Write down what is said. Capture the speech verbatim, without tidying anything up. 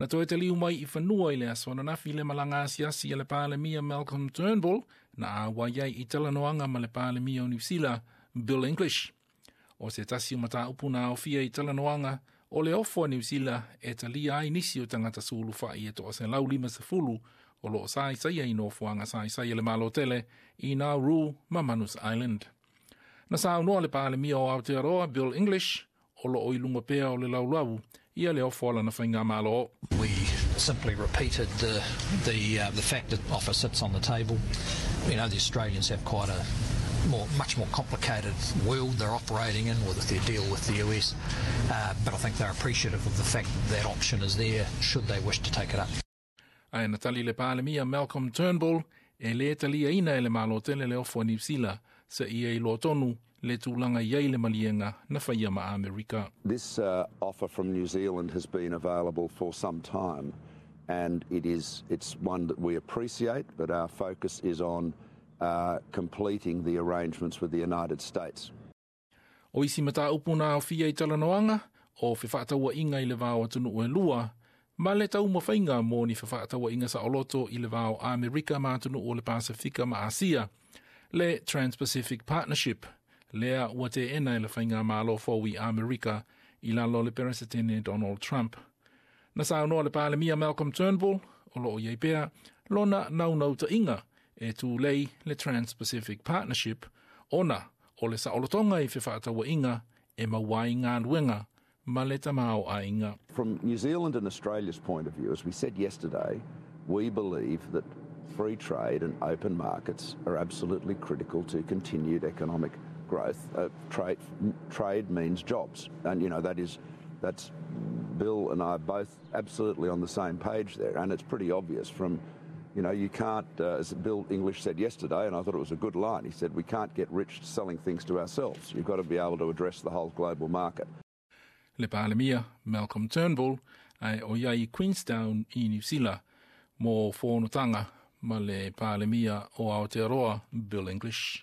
Na toe taliu mai i fanua i le aso ananafi le malaga asiasi a le Palemia Malcolm Turnbull na auai ai i talanoaga ma le Palemia o Niu Sila Bill English. O se tasi o mataupu na aofia i talanoaga o le ofo a Niu Sila e talia ai nisi o tagata sulufai e toaselau limasefulu o loo saisaia i nofoaga saisai a le Malo tele i Nauru ma Manus Island. Na saunoa le Palemia o Aotearoa Bill English o loo i luga pea o le laulau ia le ofo a lana faigamalo. We simply repeated the the uh, the fact that offer sits on the table. You know, the Australians have quite a more, much more complicated world they're operating in with their deal with the U S. Uh, but I think they're appreciative of the fact that that option is there should they wish to take it up. Ae na tali le Palemia Malcolm Turnbull e lē taliaina e le Malo tele le ofo a Niu Sila seia iloa tonu le tulaga i ai le maliega na faia ma Amerika. This uh, offer from New Zealand has been available for some time, and it is it's one that we appreciate, but our focus is on uh, completing the arrangements with the United States. O isi mataupu na aofia i talanoaga o fefaatauaiga i le va o atunuu e lua ma le taumafaiga mo ni fefaatauaiga saoloto i le va o Amerika ma atunuu o le Pasifika ma Asia, le Trans-Pacific Partnership, lea ua teena e le faigamalo fou i Amerika i lalo o le Peresetene Donald Trump. Na saunoa le Palemia Malcolm Turnbull o loo i ai pea lona naunautaiga e tulei le Trans-Pacific Partnership ona o le saolotoga i fefaatauaiga e maua ai galuega ma le tamaoaiga. From New Zealand and Australia's point of view, as we said yesterday, we believe that free trade and open markets are absolutely critical to continued economic growth. Uh, trade, trade means jobs, and you know that is that's Bill and I are both absolutely on the same page there, and it's pretty obvious from you know, you can't, uh, as Bill English said yesterday, and I thought it was a good line, he said, "We can't get rich selling things to ourselves. You've got to be able to address the whole global market." Le Palemia Malcolm Turnbull ae o ia i Queenstown i Niu Sila mo fonotaga ma le Palemia o Aotearoa Bill English.